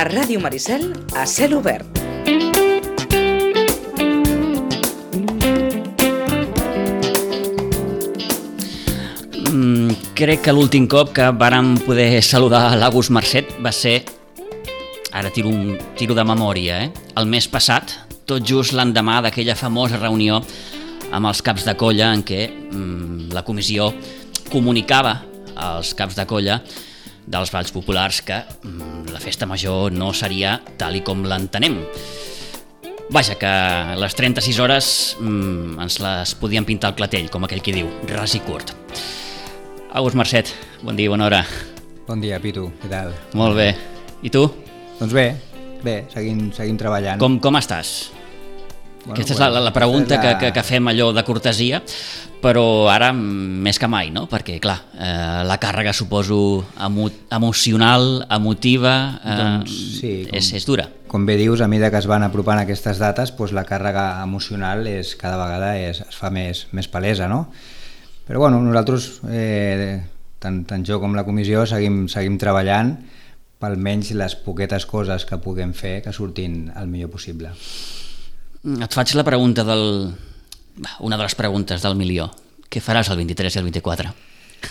Ràdio Maricel a cel obert. Crec que l'últim cop que vàrem poder saludar l'August Marcet va ser, ara tiro de memòria, el mes passat, tot just l'endemà d'aquella famosa reunió amb els caps de colla en què la comissió comunicava als caps de colla dels balls populars que la festa major no seria tal i com l'entenem. Vaja, que les 36 hores ens les podien pintar al clatell, com aquell qui diu, ras i curt. August Marcet, bon dia, bona hora. Bon dia, Pitu, què tal? Molt bé. I tu? Doncs bé, seguim treballant. Com estàs? Bueno, aquesta és la pregunta que fem allò de cortesia, però ara més que mai, no? Perquè, clar, la càrrega, suposo, emocional, emotiva, sí, és dura. Com bé dius, a mesura que es van apropant aquestes dates, doncs la càrrega emocional cada vegada es fa més palesa, no? Però bueno, nosaltres, tant jo com la comissió, seguim treballant per almenys les poquetes coses que puguem fer que surtin el millor possible. Et faig la pregunta una de les preguntes del milió. Què faràs el 23 i el 24?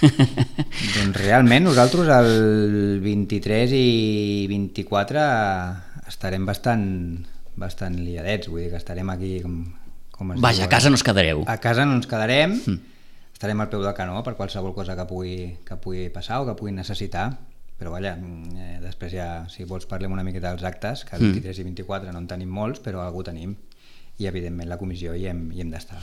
Doncs realment nosaltres el 23 i 24 estarem bastant liadets, vull dir que estarem aquí com es Vaja, diu, a casa no us quedareu. A casa no ens quedarem, estarem al peu del canó per qualsevol cosa que pugui passar o que pugui necessitar, però vaja, després ja, si vols parlem una miqueta dels actes, que el 23 i 24 no en tenim molts, però algú tenim, i evidentment la comissió hi hem d'estar.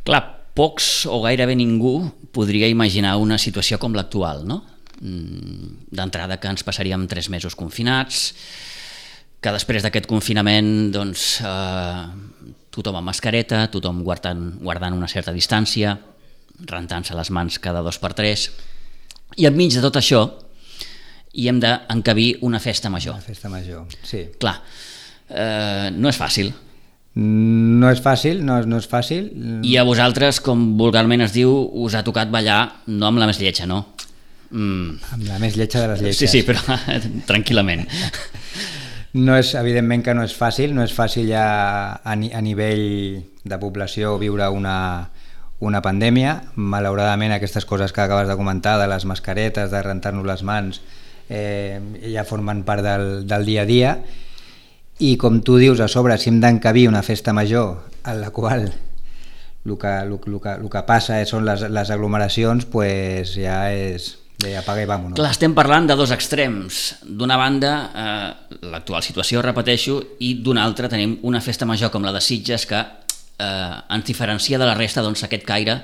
Clar, pocs o gairebé ningú podria imaginar una situació com l'actual, no? D'entrada que ens passaríem 3 mesos confinats, que després d'aquest confinament doncs, tothom amb mascareta, tothom guardant una certa distància, rentant-se les mans cada 2 per 3, i enmig de tot això hi hem d'encabir una festa major. Una festa major, sí. Clar, no és fàcil. No és fàcil. I a vosaltres, com vulgarment es diu, us ha tocat ballar no amb la més lletja, no? Amb la més lletja de les lletges. Sí, però tranquil·lament. Evidentment que no és fàcil ja a nivell de població viure una pandèmia. Malauradament aquestes coses que acabes de comentar, de les mascaretes, de rentar-nos les mans, ja formen part del dia a dia, i com tu dius, a sobre, si hem d'encabir una festa major en la qual el que passa són les aglomeracions, pues ja és de apaga i vámonos. Clar, estem parlant de 2 extrems. D'una banda, l'actual situació, repeteixo, i d'una altra tenim una festa major com la de Sitges que ens diferencia de la resta, doncs, aquest caire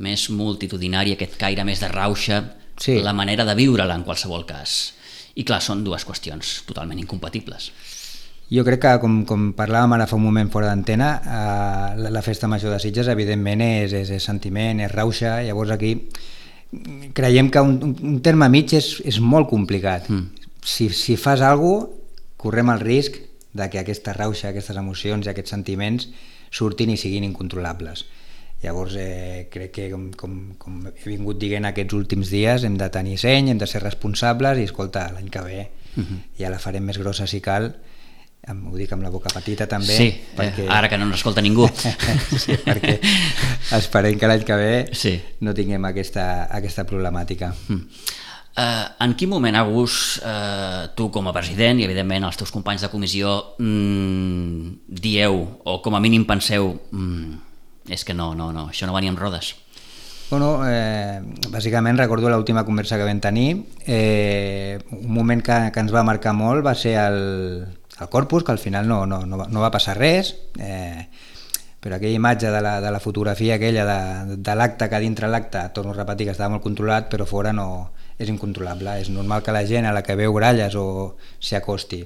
més multitudinari, aquest caire més de rauxa, sí. La manera de viure-la en qualsevol cas. I clar, són 2 qüestions totalment incompatibles. Jo crec que, com parlàvem ara fa un moment fora d'antena, la festa major de Sitges evidentment és sentiment, és rauxa. Llavors aquí creiem que un terme mig és molt complicat. Si fas alguna cosa, correm el risc de que aquesta rauxa, aquestes emocions i aquests sentiments surtin i siguin incontrolables. Llavors crec que, com he vingut dient aquests últims dies, hem de tenir seny, hem de ser responsables i, escolta, l'any que ve ja la farem més grossa si cal. Ho dic amb la boca petita també. Sí, perquè... ara que no ens escolta ningú. Sí, perquè esperem que l'any que ve no tinguem aquesta problemàtica. En quin moment, August, tu com a president i evidentment els teus companys de comissió dieu, o com a mínim penseu, és que no, això no venia amb rodes? Bueno, bàsicament recordo l'última conversa que vam tenir. Un moment que ens va marcar molt va ser el Corpus, que al final no va passar res, però aquella imatge de la fotografia aquella de l'acte, que dintre l'acte, torno a repetir que estava molt controlat, però fora no és incontrolable. És normal que la gent a la que veu gralles o s'hi acosti.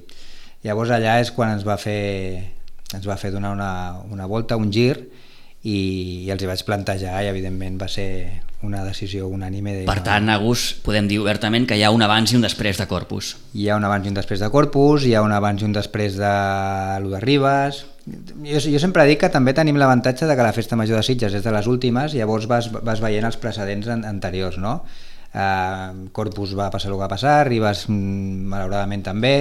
Llavors allà és quan ens va fer donar una volta, un gir, i els hi vaig plantejar, i evidentment va ser una decisió unànime. Per tant, August, podem dir obertament que hi ha un abans i un després de Corpus. Hi ha un abans i un després de Corpus, hi ha un abans i un després de lo de Ribes. Jo sempre dic que també tenim l'avantatge de que la festa major de Sitges és de les últimes, llavors vas veient els precedents anteriors, no? Corpus va passar el que va passar, Ribes malauradament també,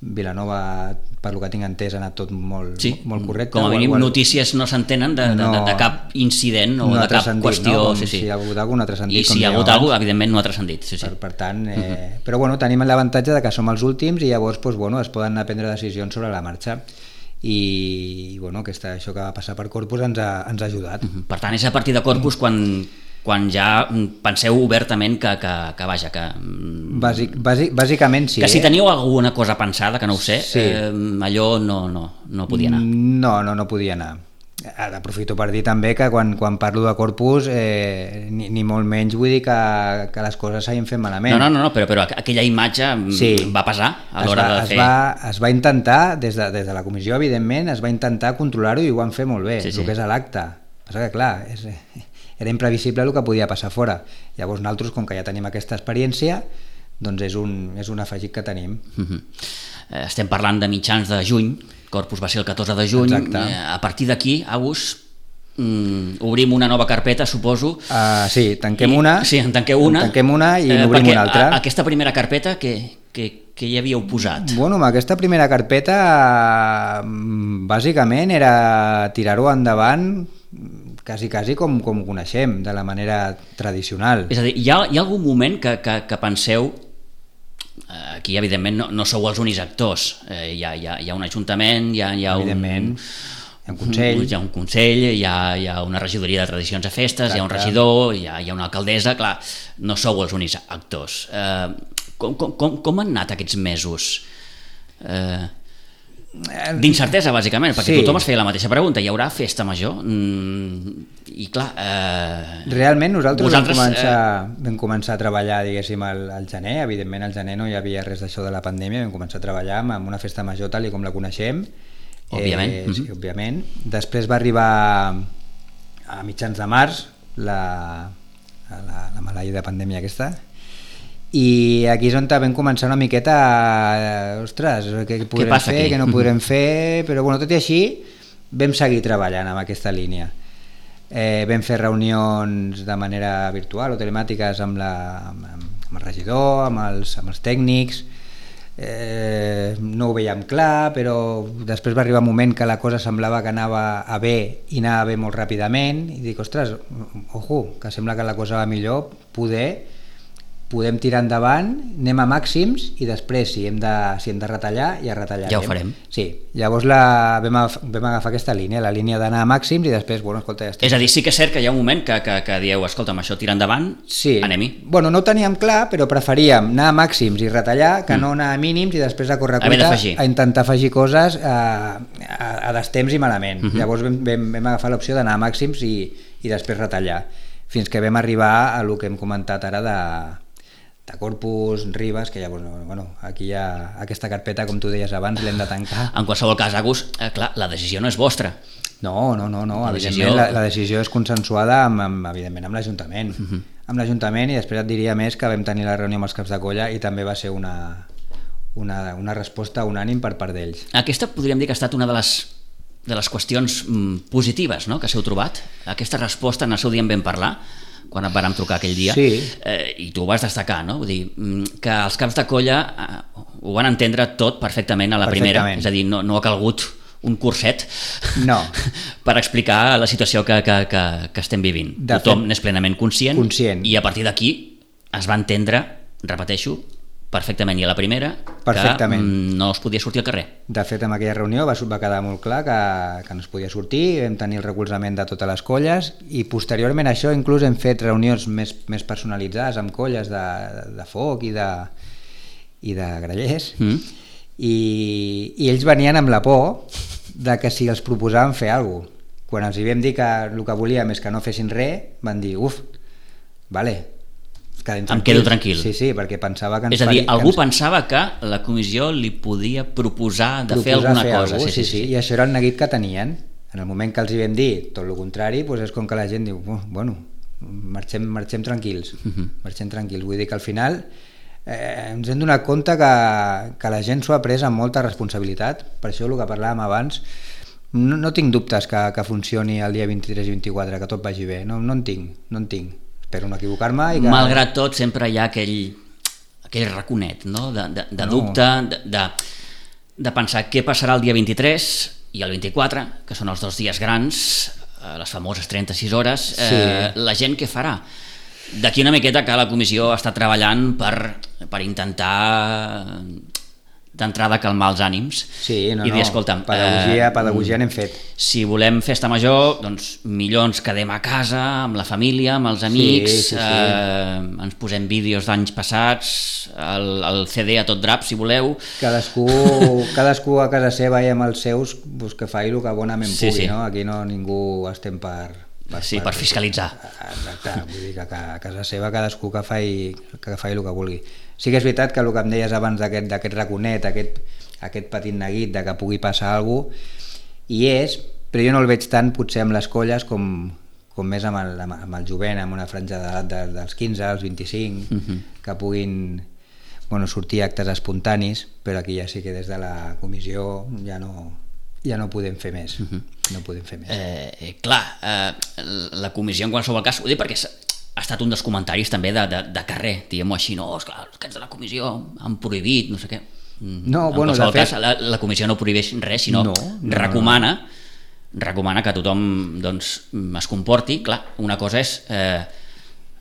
Vilanova, per lo que tinc entès, ha anat tot molt correcte. Com a mínim notícies no s'entenen de cap incident o de cap qüestió. No? Si hi ha hagut alguna no ha transcendit. I si hi ha hagut alguna, evidentment no ha transcendit. Per tant, però bueno, tenim l'avantatge de que som els últims i llavors es poden anar a prendre decisions sobre la marxa. I bueno, això que va passar per Corpus ens ha ajudat. Per tant, és a partir de Corpus quan ja penseu obertament que vaja, que... Bàsicament sí. Que si teníeu alguna cosa pensada, que no ho sé, allò no podia anar. No podia anar. Ara aprofito per dir també que quan parlo de Corpus ni molt menys vull dir que les coses s'hagin fet malament. No, però aquella imatge va pesar a l'hora de fer... Es va intentar, des de la comissió, evidentment, es va intentar controlar-ho i ho van fer molt bé, el que és a l'acte. Passa que, clar, era imprevisible el que podia passar fora. Llavors nosaltres, com que ja tenim aquesta experiència, doncs és un afegit que tenim. Estem parlant de mitjans de juny, Corpus va ser el 14 de juny. Exacte. A partir d'aquí, Agus, obrim una nova carpeta, suposo. Sí, tanquem una i n'obrim una altra. Aquesta primera carpeta, què hi havíeu posat? Bueno, aquesta primera carpeta bàsicament era tirar-ho endavant quasi com ho coneixem, de la manera tradicional. És a dir, hi ha algun moment que penseu, aquí evidentment no sou els únics actors, hi ha un ajuntament, hi ha un consell, hi ha una regidoria de tradicions a festes, exacte. Hi ha un regidor, hi ha una alcaldessa, clar, no sou els únics actors. Com han anat aquests mesos? D'incertesa, bàsicament, perquè tothom es feia la mateixa pregunta. Hi haurà festa major? I clar... Realment nosaltres vam començar a treballar, diguéssim, al gener. Evidentment al gener no hi havia res d'això de la pandèmia, vam començar a treballar amb una festa major tal com la coneixem. Òbviament. Sí, òbviament. Després va arribar a mitjans de març la maleïda pandèmia aquesta, i aquí és on vam començar una miqueta ostres, què podrem fer, què no podrem fer, però bueno, tot i així vam seguir treballant amb aquesta línia. Vam fer reunions de manera virtual o telemàtiques amb el regidor, amb els tècnics, no ho veiem clar, però després va arribar un moment que la cosa semblava que anava a bé i anava a bé molt ràpidament, i dic, ostres, ojo, que sembla que la cosa va millor, podem tirar endavant, anem a màxims i després si hem de retallar ja retallarem. Ja ho farem. Sí, llavors vam agafar aquesta línia, la línia d'anar a màxims i després, bueno, escolta, ja estem. És a dir, sí que és cert que hi ha un moment que dieu, escolta'm, això tira endavant, anem-hi. Bueno, no ho teníem clar, però preferíem anar a màxims i retallar que no anar a mínims i després a correcuita a intentar afegir coses a destemps i malament. Llavors vam agafar l'opció d'anar a màxims i després retallar, fins que vam arribar a el que hem comentat ara de Corpus, Ribes, que llavors, bueno, aquí hi ha aquesta carpeta, com tu deies abans, l'hem de tancar. En qualsevol cas, Agus, clar, la decisió no és vostra. No, evidentment la decisió és consensuada evidentment amb l'Ajuntament. Amb l'Ajuntament, i després et diria més que vam tenir la reunió amb els caps de colla i també va ser una resposta unànim per part d'ells. Aquesta podríem dir que ha estat una de les qüestions positives, no?, que s'heu trobat. Aquesta resposta en el seu dia en vam parlar, quan et vàrem trucar aquell dia, i tu ho vas destacar, no? Vull dir, que els caps de colla ho van entendre tot perfectament a la primera, és a dir, no ha calgut un curset per explicar la situació que estem vivint. Tothom n'és plenament conscient i a partir d'aquí es va entendre, repeteixo, perfectament, i a la primera que no es podia sortir al carrer. De fet, en aquella reunió va quedar molt clar que no es podia sortir, vam tenir el recolzament de totes les colles i posteriorment a això inclús hem fet reunions més personalitzades amb colles de foc i de grallers i ells venien amb la por de que si els proposàvem fer alguna cosa. Quan els hi vam dir que el que volíem és que no fessin res, van dir, vale, em quedo tranquil. Sí, perquè pensava que és a dir, algú pensava que la comissió li podia proposar de fer alguna cosa. Sí, i això era el neguit que tenien. En el moment que els hi vam dir tot el contrari, doncs és com que la gent diu, bueno, marxem tranquils. Marxem tranquils. Vull dir que al final ens hem donat compte que la gent s'ho ha pres amb molta responsabilitat. Per això el que parlàvem abans, no tinc dubtes que funcioni el dia 23 i 24, que tot vagi bé. No en tinc. Espero no equivocar-me. Malgrat tot, sempre hi ha aquell raconet, no?, de dubte, de pensar què passarà el dia 23 i el 24, que són els 2 dies grans, les famoses 36 hores, la gent què farà? D'aquí una miqueta que la comissió està treballant per intentar d'entrada calmar els ànims i dir, escolta'm, pedagogia n'hem fet. Si volem festa major, doncs millor ens quedem a casa amb la família, amb els amics, ens posem vídeos d'anys passats, el CD a tot drap, si voleu. Cadascú a casa seva i amb els seus, doncs que faci el que bonament pugui, no? Aquí no ningú estem per fiscalitzar. Exacte, vull dir que a casa seva cadascú que faci el que vulgui. Sí que és veritat que el que em deies abans d'aquest raconet, aquest petit neguit de que pugui passar alguna cosa, però jo no el veig tant potser amb les colles com més amb el jovent, amb una franja d'edat dels 15 als 25, que puguin sortir actes espontanis, però aquí ja sí que des de la comissió ja no podem fer més. No podem fer més. Clar, la comissió en qualsevol cas, ho dic perquè ha estat un dels comentaris també de carrer, diguem-ho així, no, esclar, els aquests de la comissió han prohibit, no sé què. No, en qualsevol cas, la comissió no prohibeix res, sinó recomana que tothom es comporti. Clar, una cosa és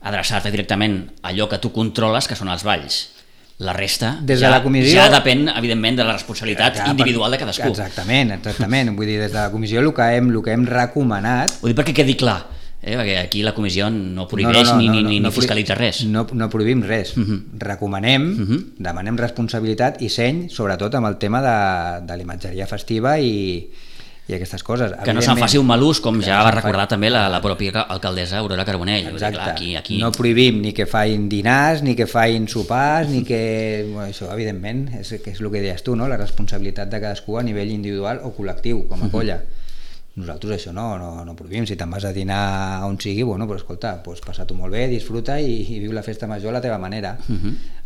adreçar-te directament a allò que tu controles, que són els balls. La resta ja depèn, evidentment, de la responsabilitat individual de cadascú. Exactament. Vull dir, des de la comissió el que hem recomanat... Ho dic perquè quedi clar, perquè aquí la comissió no prohibeix ni fiscalitza res. No prohibim res. Recomanem, demanem responsabilitat i seny, sobretot amb el tema de l'imatgeria festiva i aquestes coses. Que no se'n faci un mal ús, com ja va recordar també la pròpia alcaldessa Aurora Carbonell. Exacte. Aquí no prohibim ni que facin dinars, ni que facin sopars, ni que... Això, evidentment, és el que deies tu, no? La responsabilitat de cadascú a nivell individual o col·lectiu, com a colla. Nosaltres això no prohibim. Si te'n vas a dinar on sigui, però escolta, passa-t'ho molt bé, disfruta i viu la festa major a la teva manera.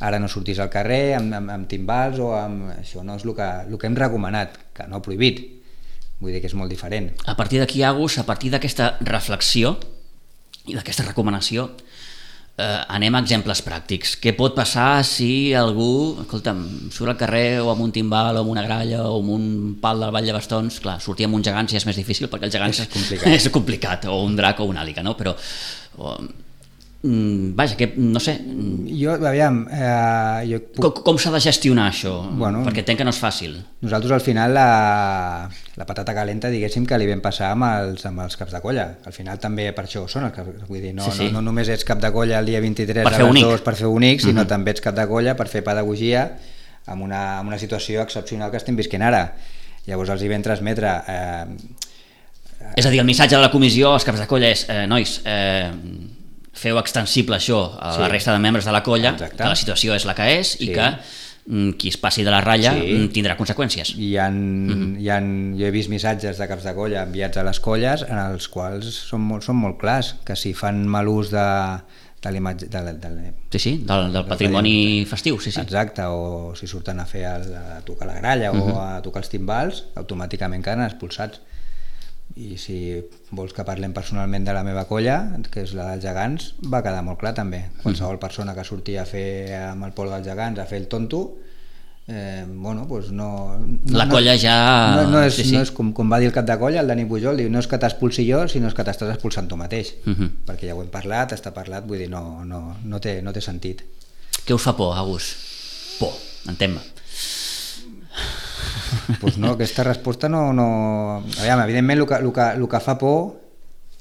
Ara no sortis al carrer amb timbals o amb... Això no és el que hem recomanat, que no prohibit. Vull dir que és molt diferent. A partir d'aquí, Agus, a partir d'aquesta reflexió i d'aquesta recomanació, anem a exemples pràctics. Què pot passar si algú, escolta'm, surt al carrer o amb un timbal o amb una gralla o amb un pal del Vall de Bastons? Clar, sortir amb uns gegants ja és més difícil perquè els gegants és complicat, o un drac o una àliga, no? Però... vaja, que no sé... Com s'ha de gestionar això? Perquè entenc que no és fàcil. Nosaltres al final la patata calenta, diguéssim, que li vam passar amb els caps de colla. Al final també per això són els caps, vull dir, no només ets cap de colla el dia 23 a les 2 per fer bonic, sinó també ets cap de colla per fer pedagogia amb una situació excepcional que estem visquent ara. Llavors els hi vam transmetre... És a dir, el missatge de la comissió als caps de colla és nois, feu extensible això a la resta de membres de la colla, que la situació és la que és i que qui es passi de la ratlla tindrà conseqüències. Jo he vist missatges de caps de colla enviats a les colles en els quals són molt clars, que si fan mal ús de l'imatge del patrimoni festiu. Exacte, o si surten a tocar la gralla o a tocar els timbals, automàticament queden expulsats. I si vols que parlem personalment de la meva colla, que és la dels gegants, va quedar molt clar també. Qualsevol persona que sortia a fer amb el polo dels gegants, a fer el tonto, no... La colla ja... No és com va dir el cap de colla, el Dani Pujol, diu, no és que t'expulsi jo, sinó és que t'estàs expulsant tu mateix. Perquè ja ho hem parlat, està parlat, vull dir, no té sentit. Què us fa por, Agus? Por, entén-me. Pues no, aquesta resposta no... Aviam, evidentment el que fa por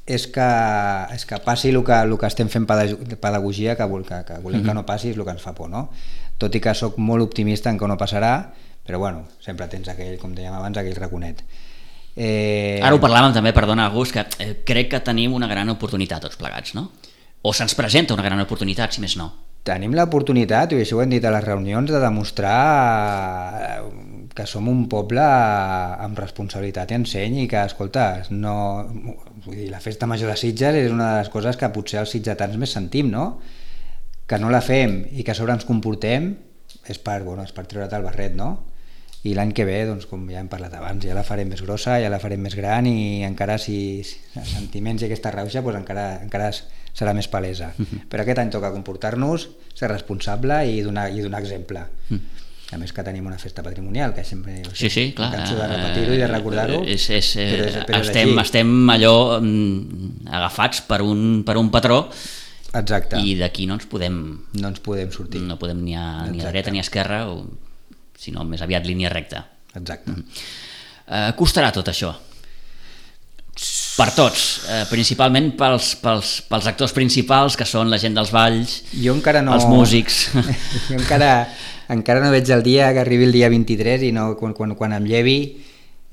és que passi el que estem fent pedagogia, que volem que no passi, és el que ens fa por, no? Tot i que sóc molt optimista en que no passarà, però sempre tens aquell, com dèiem abans, aquell raconet. Ara ho parlàvem també, perdona, Agus, que crec que tenim una gran oportunitat tots plegats, no? O se'ns presenta una gran oportunitat, si més no. Tenim l'oportunitat, i això ho hem dit a les reunions, de demostrar que som un poble amb responsabilitat i enseny i que, escolta, vull dir, la festa major de Sitges és una de les coses que potser els sitgetans més sentim, no? Que no la fem i que a sobre ens comportem és per treure't el barret, no? I l'any que ve, doncs, com ja hem parlat abans, ja la farem més grossa, ja la farem més gran i encara si els sentiments i aquesta rauxa doncs encara serà més palesa. Però aquest any toca comportar-nos, ser responsable i donar exemple. A més que tenim una festa patrimonial, que sempre Sí, clar. em canso de repetir-ho i de recordar-ho. Però estem allò agafats per un patró. Exacte. I d'aquí no ens podem sortir. No podem ni a dreta ni a esquerra, sinó més aviat línia recta. Exacte. Costarà tot això? Per tots, principalment pels actors principals, que són la gent dels balls, els músics. Jo encara no veig el dia que arribi el dia 23 i no, quan em llevi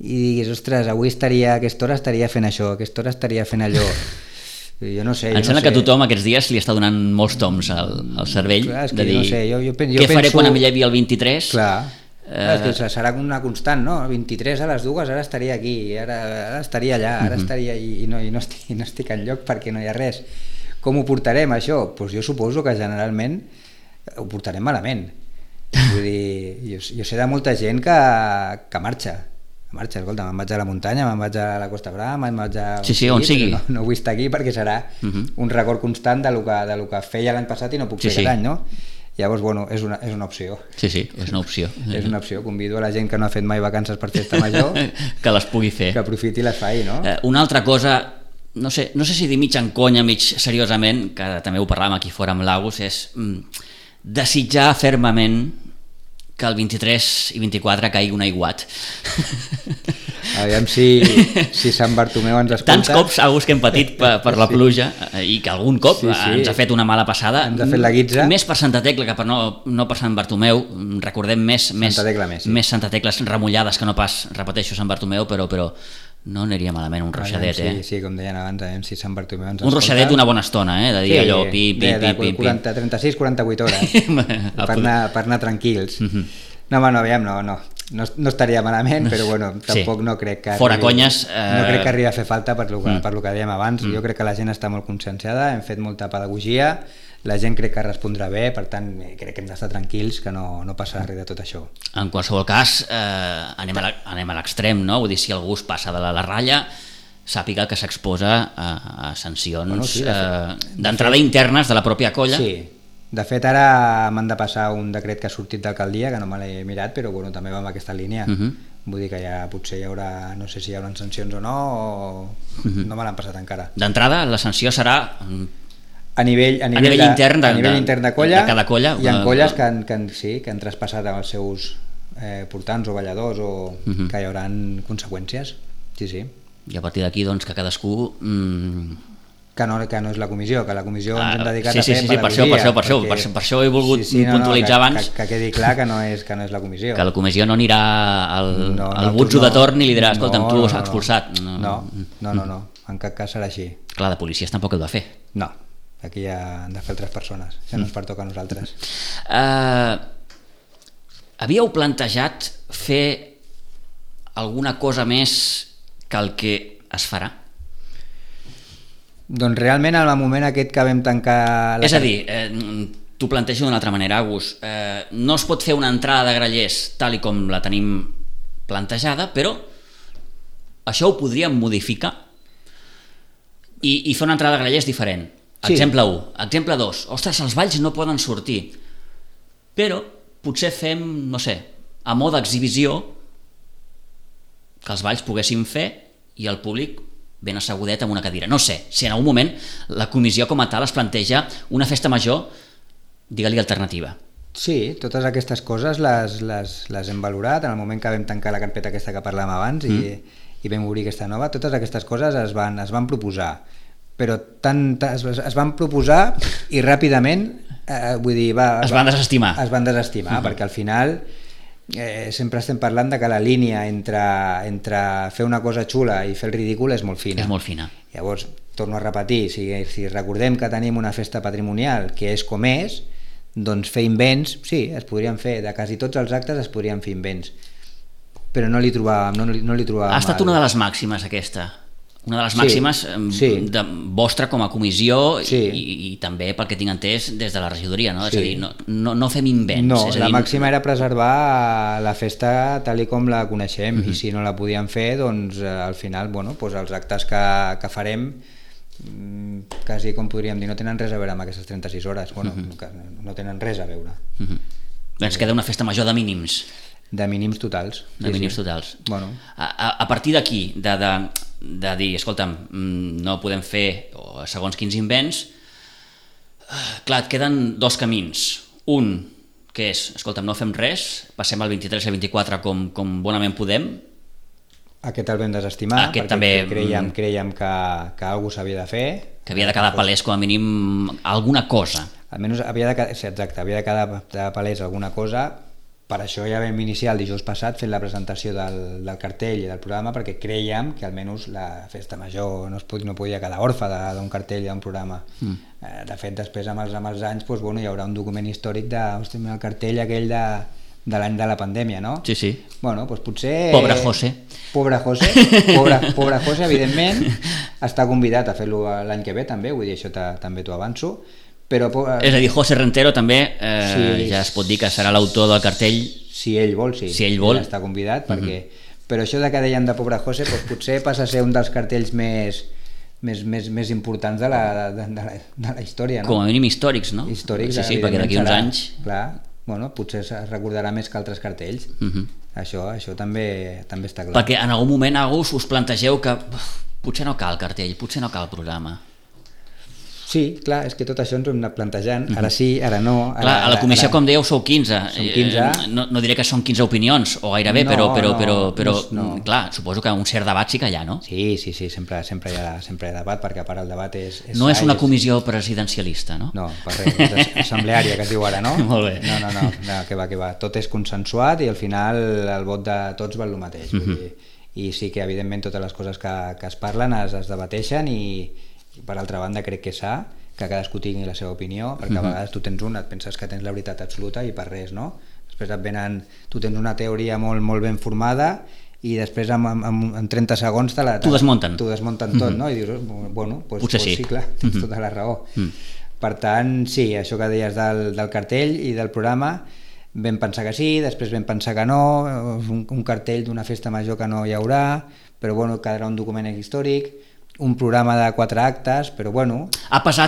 i diguis, ostres, avui a aquesta hora estaria fent això, a aquesta hora estaria fent allò. Jo no sé. Em sembla que tothom aquests dies li està donant molts toms al cervell. Clar, de dir, no sé, jo què faré quan em llevi el 23? Clar, és que serà una constant, no? El 23 a les 2 ara estaria aquí, ara estaria allà, ara estaria i no estic enlloc perquè no hi ha res. Com ho portarem, això? Doncs jo suposo que generalment ho portarem malament. Vull dir, jo sé de molta gent que marxa, escolta, me'n vaig a la muntanya, me'n vaig a la Costa Brava, me'n vaig a... Sí, on sigui. No vull estar aquí perquè serà un record constant de lo que feia l'any passat i no puc fer aquest any, no? Llavors, bueno, és una opció. Sí, és una opció. És una opció. Convido a la gent que no ha fet mai vacances per festa major que les pugui fer. Que aprofiti i les faci, no? Una altra cosa, no sé si dir mig en conya, mig seriosament, que també ho parlàvem aquí fora amb l'Agus, és desitjar fermament que el 23 i 24 caigui un aiguat. Aviam si Sant Bartomeu ens escolta. Tants cops, Agus, que hem patit per la pluja i que algun cop ens ha fet una mala passada. Ens ha fet la guitza. Més per Santa Tecla que per no per Sant Bartomeu. Recordem més Santa Tecles remullades que no pas, repeteixo, Sant Bartomeu, però no aniria malament un ruixadet. Sí, com deien abans, si Sant Bartomeu ens escolta. Un ruixadet d'una bona estona, de dir allò, pip. 36-48 hores per anar tranquils. No, aviam, no estaria malament, però bueno, tampoc no crec que fora conyes, no crec que arribi a fer falta per lo que dèiem abans. Jo crec que la gent està molt conscienciada, hem fet molta pedagogia, la gent crec que respondrà bé, per tant crec que hem d'estar tranquils, que no passarà res de tot això. En qualsevol cas, anem a l'extrem, no? Vull dir, si algú es passa de la ratlla, sàpiga que s'exposa a sancions d'entrada internes de la pròpia colla. Sí. De fet, ara m'han de passar un decret que ha sortit d'alcaldia, que no me l'he mirat, però bueno, també va en aquesta línia. Vull dir que potser hi haurà, no sé si hi haurà sancions o no, no me l'han passat encara. D'entrada, la sanció serà a nivell intern de colla, de cada colla. Hi ha colles que han traspassat els seus portants o balladors o que hi haurà conseqüències. Sí. I a partir d'aquí, doncs, que cadascú... Que no és la comissió, que la comissió ens hem dedicat a fer pedagogia. Per això he volgut puntualitzar abans. Que quedi clar que no és la comissió. Que la comissió no anirà al butxo de torn i li dirà, escolta'm, tu s'ha expulsat. No, en cap cas serà així. Clar, de policies tampoc ho ha de fer. No, aquí ja han de fer altres persones, això no ens pertoca a nosaltres. Havíeu plantejat fer alguna cosa més que el que es farà? Doncs realment en el moment aquest que vam tancar... És a dir, t'ho plantejo d'una altra manera, Agus, no es pot fer una entrada de grallers tal i com la tenim plantejada, però això ho podríem modificar i fer una entrada de grallers diferent. Exemple 1. Exemple 2. Ostres, els balls no poden sortir, però potser fem, no sé, a mode d'exhibició que els balls poguessin fer i el públic ben assegudet amb una cadira. No sé, si en algun moment la comissió com a tal es planteja una festa major, digue-li alternativa. Sí, totes aquestes coses les hem valorat en el moment que vam tancar la carpeta aquesta que parlàvem abans i vam obrir aquesta nova. Totes aquestes coses es van proposar, però es van proposar i ràpidament vull dir, es van desestimar. Perquè al final sempre estem parlant de que la línia entre fer una cosa xula i fer el ridícul és molt fina. És molt fina. Llavors, torno a repetir, si recordem que tenim una festa patrimonial que és com és, doncs fer invents, sí, es podrien fer, de quasi tots els actes es podrien fer invents, però no li trobàvem ha estat una de les màximes aquesta, una de les màximes de vostra com a comissió i també pel que tinc entès des de la regidoria, no? És a dir, no fem invents. No, la màxima era preservar la festa tal i com la coneixem i si no la podíem fer, doncs al final els actes que farem quasi com podríem dir, no tenen res a veure amb aquestes 36 hores, no tenen res a veure. Ens queda una festa major de mínims. De mínims totals. De mínims totals. Bueno. A partir d'aquí, de dir, escolta'm, no podem fer segons quins invents, clar, et queden dos camins. Un, que és, escolta'm, no fem res, passem al 23 i al 24 com bonament podem. Aquest el vam desestimar, Aquest perquè també, creiem que algú s'havia de fer. Que havia de quedar palès com a mínim alguna cosa. Almenys havia de quedar palès alguna cosa. Per això ja vam iniciar el dijous passat fent la presentació del cartell i del programa, perquè creiem que almenys la festa major no podia quedar orfa d'un cartell i d'un programa. De fet, després amb els anys doncs, hi haurà un document històric del cartell aquell de l'any de la pandèmia, no? Sí, sí. Bueno, doncs potser... Pobre José. Pobre José, evidentment, està convidat a fer-lo l'any que ve també, vull dir, això també t'ho avanço. Però, és a dir, José Rentero també ja es pot dir que serà l'autor del cartell. Si ell vol, sí. Si ell vol. Ja està convidat, perquè... Però això que deien de Pobre José doncs potser passa a ser un dels cartells més importants de la història, no? Com a mínim històrics, no? Històrics, sí, perquè d'aquí uns anys... Clar, bueno, potser es recordarà més que altres cartells. Això també està clar. Perquè en algun moment us plantegeu que potser no cal cartell, potser no cal programa. Sí, clar, és que tot això ens ho hem anat plantejant, ara sí, ara no... Clar, a la comissió, com dèieu, sou 15. Som 15. No diré que són 15 opinions, o gairebé, però clar, suposo que un cert debat sí que hi ha, no? Sí, sempre hi ha debat, perquè a part el debat és no és una comissió presidencialista, no? No, per res, és assembleària, que es diu ara, no? Molt bé. No, que va. Tot és consensuat i al final el vot de tots val el mateix. I sí que, evidentment, totes les coses que es parlen es debateixen i per altra banda crec que que cadascú tingui la seva opinió, perquè a vegades tu tens et penses que tens la veritat absoluta i per res, no? Després tu tens una teoria molt ben formada i després en 30 segons t'ho desmunten tot, no? I dius, bueno, potser sí, clar, tens tota la raó. Per tant, sí, això que deies del cartell i del programa, vam pensar que sí, després vam pensar que no, un cartell d'una festa major que no hi haurà, però bueno, quedarà un document històric, un programa de 4 actes, però bueno...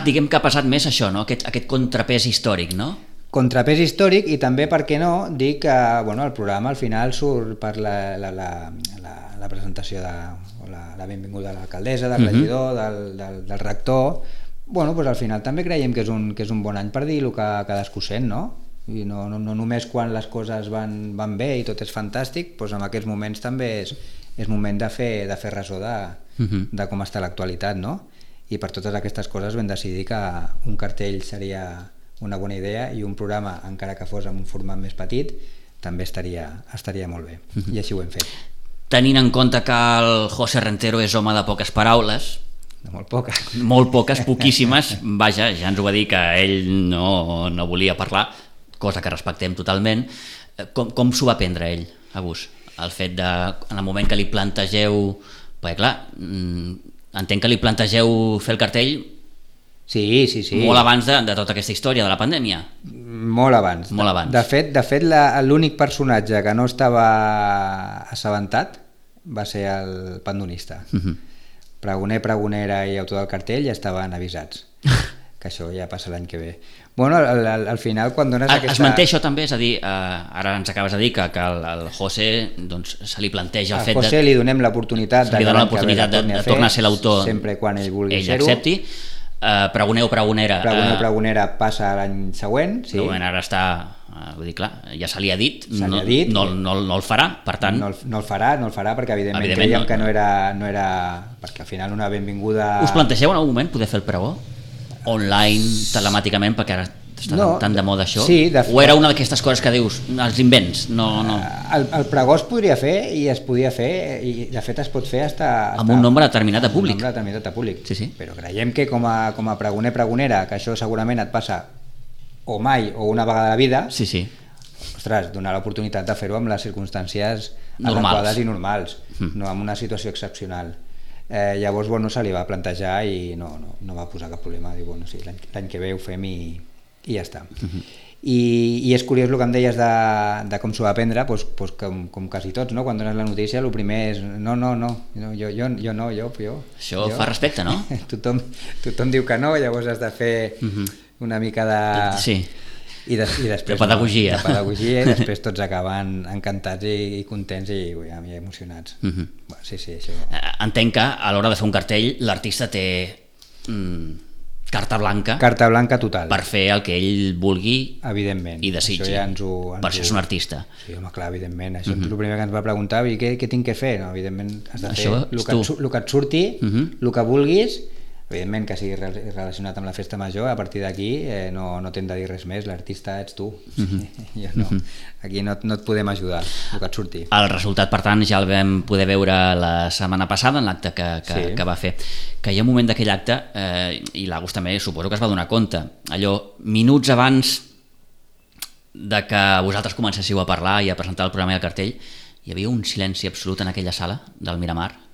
Diguem que ha passat més això, no? Aquest contrapès històric, no? Contrapès històric i també, per què no, dir que el programa al final surt per la presentació la benvinguda de l'alcaldessa, del regidor, del rector. Doncs al final també creiem que és un bon any per dir el que cadascú sent, no? I no només quan les coses van bé i tot és fantàstic, doncs en aquests moments també és moment de fer ressò de com està l'actualitat, no? I per totes aquestes coses vam decidir que un cartell seria una bona idea i un programa, encara que fos en un format més petit, també estaria molt bé. I així ho hem fet. Tenint en compte que el José Rentero és home de poques paraules, molt poques, poquíssimes, vaja, ja ens ho va dir que ell no volia parlar, cosa que respectem totalment. Com s'ho va prendre ell, Agus? El fet de, en el moment que li plantegeu, perquè clar, entenc que li plantegeu fer el cartell sí. molt abans de tota aquesta història de la pandèmia. Molt abans. De fet l'únic personatge que no estava assabentat va ser el pandonista. Pregoner, pregonera i autor del cartell ja estaven avisats que això ja passa l'any que ve. Bueno, al final quan dones aquesta... Es manté això també, és a dir, ara ens acabes de dir que al José se li planteja el fet de... Al José li donem l'oportunitat de tornar a ser l'autor, sempre quan ell vulgui ser-ho. Ell accepti. Pregoner o pregonera... Pregonera passa l'any següent, sí. Ara està... Vull dir, clar, ja se li ha dit, no el farà, per tant... No el farà perquè evidentment creiem que no era... Perquè al final una benvinguda... Us plantegeu en algun moment poder fer el pregó? Online, telemàticament, perquè ara està tan de moda això? Sí, o era una d'aquestes coses que dius, els invents? No. El pregó es podria fer i es podia fer, i de fet es pot fer amb un nombre determinat de públic. Sí. Però creiem que com a pregoner, pregonera, que això segurament et passa o mai o una vegada a la vida, ostres, donar l'oportunitat de fer-ho amb les circumstàncies adequades i normals, no amb una situació excepcional. Llavors se li va plantejar i no va posar cap problema, diu, sí, l'any que ve ho fem i ja està. I és curiós el que em deies de com s'ho va prendre, com quasi tots, no? Quan dones la notícia el primer és jo. Això fa respecte, no? Tothom diu que no, llavors has de fer una mica de... Sí. I després, de pedagogia. De pedagogia, i després tots acaben encantats i contents i emocionats. Sí, això. Entenc que a l'hora de fer un cartell l'artista té carta blanca total per fer el que ell vulgui, evidentment, i desitgi. Per això és un artista. Sí, home, clar, evidentment. Això és el primer que ens va preguntar, i què tinc que fer? No, evidentment has de fer el que et surti, el que vulguis, evidentment que sigui relacionat amb la festa major. A partir d'aquí no t'hem de dir res més, l'artista ets tu. Jo no. Aquí no et podem ajudar, el que et surti. El resultat, per tant, ja el vam poder veure la setmana passada en l'acte que va fer, que hi ha un moment d'aquell acte, i l'Agus també suposo que es va donar compte, allò minuts abans de que vosaltres comencéssiu a parlar i a presentar el programa i el cartell, hi havia un silenci absolut en aquella sala del Miramar,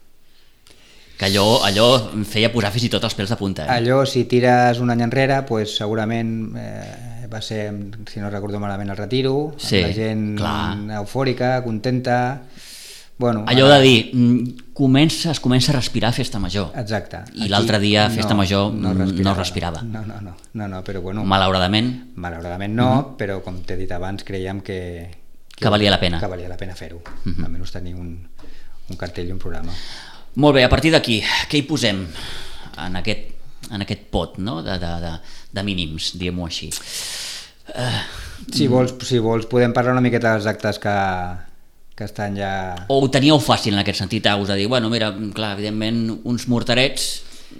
que allò em feia posar fins i tot els pèls de punta. Allò, si tires un any enrere, pues, segurament va ser, si no recordo malament, el retiro, sí, la gent eufòrica, contenta. Bueno, allò de dir, es comença a respirar festa major. Exacte. I l'altre dia festa major no respirava. No, però bueno. Malauradament no, però com t'he dit abans, creiem que valia la pena. Que valia la pena fer-ho. Almenys tenir un cartell i un programa. Molt bé, a partir d'aquí, què hi posem en aquest pot, no? de mínims, diguem-ho així? Si vols podem parlar una miqueta dels actes que estan ja... O ho teníeu fàcil en aquest sentit, us de dir, bueno, mira, clar, evidentment, uns morterets,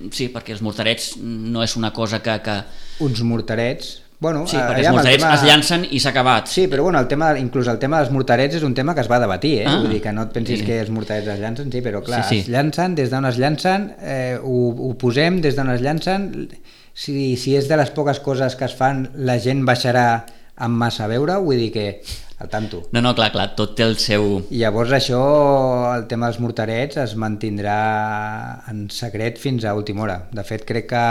sí, perquè els morterets no és una cosa que... Uns morterets... Bueno, sí, perquè els morterets es llancen i s'ha acabat. Sí, però bueno, inclús el tema dels morterets és un tema que es va debatir, vull dir que no et pensis que els morterets es llancen, sí, però clar, es llancen, des d'on es llancen, ho posem des d'on es llancen, si és de les poques coses que es fan, la gent baixarà amb massa a veure, vull dir que al tanto. No, clar, tot té el seu... Llavors això, el tema dels morterets es mantindrà en secret fins a última hora. De fet, crec que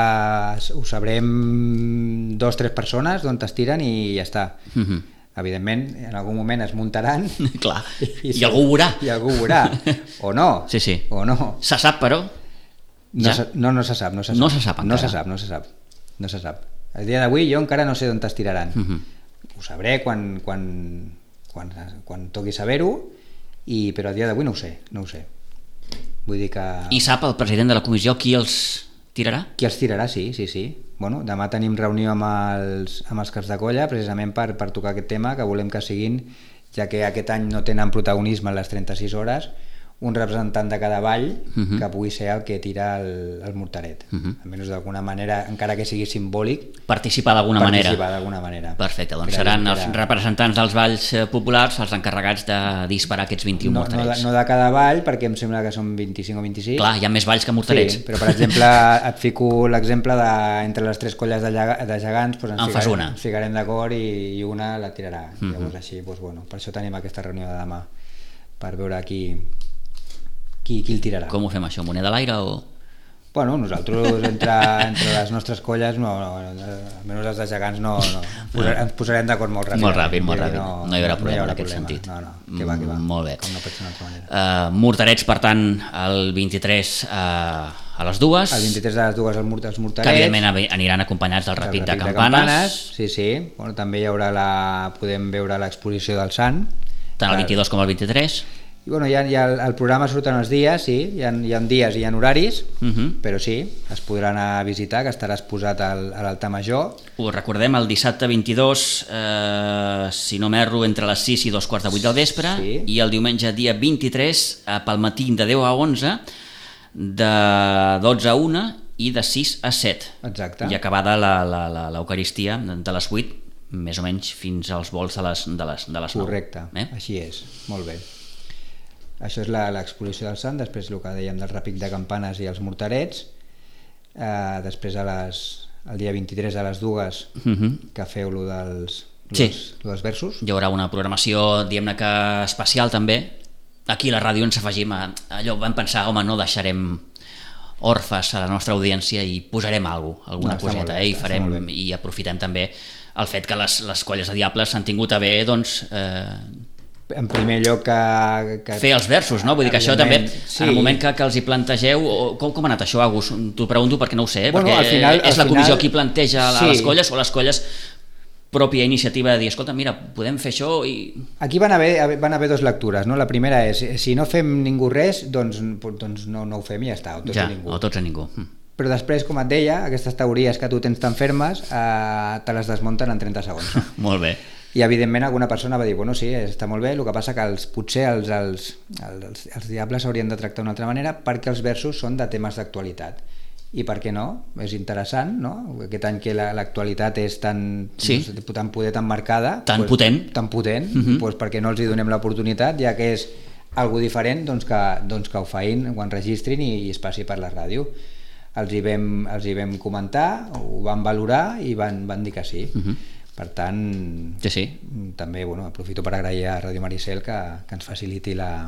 ho sabrem 2 o 3 persones d'on es tiren i ja està. Evidentment, en algun moment es muntaran. Clar, i algú ho veurà. I algú ho veurà, o no. Sí. O no. Se sap, però? No se sap. No se sap. El dia d'avui jo encara no sé d'on es tiraran. Ho sabré quan toqui saber-ho, però a dia d'avui no ho sé. Vull dir que... I sap el president de la comissió qui els tirarà? Qui els tirarà, sí. Bueno, demà tenim reunió amb els caps de colla precisament per tocar aquest tema, que volem que siguin, ja que aquest any no tenen protagonisme en les 36 hores, un representant de cada vall que pugui ser el que tira el morteret. Almenys d'alguna manera, encara que sigui simbòlic, participar d'alguna manera. Perfecte, doncs seran els representants dels valls populars els encarregats de disparar aquests 21 morterets. No de cada vall, perquè em sembla que són 25 o 26. Clar, hi ha més valls que morterets. Sí, però per exemple et fico l'exemple entre les 3 colles de gegants, ens ficarem d'acord i una la tirarà. Llavors així, per això tenim aquesta reunió de demà, per veure qui el tirarà. Com ho fem això, moneda a l'aire o...? Bueno, nosaltres entre les nostres colles, almenys les de gegants, ens posarem d'acord molt ràpid. Molt ràpid. No hi haurà problema en aquest sentit. No, que va. Molt bé. Com no pot ser d'una altra manera. Morterets, per tant, el 23 a les 2. El 23 a les 2 els morterets. Que evidentment aniran acompanyats del repit de campanes. Sí. Bueno, també hi haurà podem veure l'exposició del Sant. Tant el 22 com el 23. I bueno, el programa surten els dies, sí, hi ha dies i hi ha horaris, però sí, es podrà anar a visitar, que estarà exposat a l'altar major. Ho recordem, el dissabte 22, si no m'erro, entre les 6 i 2:15 del vespre, i el diumenge dia 23, pel matí de 10 a 11, de 12 a 1 i de 6 a 7. Exacte. I acabada l'Eucaristia de les 8, més o menys fins als volts de les 9. Correcte, així és, molt bé. Això és l'exposició del Sant, després el que dèiem del repic de campanes i els morterets, després el dia 23 a les 2 que feu lo dels versos. Hi haurà una programació, diguem-ne que especial també. Aquí a la ràdio ens afegim a allò, vam pensar, home, no deixarem orfes a la nostra audiència i posarem alguna coseta, i farem, i aprofitem també el fet que les colles de diables s'han tingut a bé, doncs... en primer lloc que fer els versos, no? Vull dir que això també, en el moment que els hi plantegeu, com ha anat això, Agus? T'ho pregunto perquè no ho sé, perquè és la comissió qui planteja a les colles, o les colles pròpia iniciativa de dir, escolta, mira, podem fer això i... Aquí van haver dues lectures, no? La primera és, si no fem ningú res, doncs no ho fem i ja està, o tots o ningú. O tots o ningú. Però després, com et deia, aquestes teories que tu tens tan fermes te les desmunten en 30 segons. Molt bé. I evidentment alguna persona va dir, bueno, sí, està molt bé, el que passa que potser els diables s'haurien de tractar d'una altra manera perquè els versos són de temes d'actualitat. I per què no? És interessant, no? Aquest any que l'actualitat és tan poder, tan marcada, tan potent, doncs per què no els hi donem l'oportunitat, ja que és algo diferent, doncs que ho fein, ho enregistrin i es passi per la ràdio. Els hi vam comentar, ho van valorar i van dir que sí. Per tant, també aprofito per agrair a Ràdio Maricel que ens faciliti la...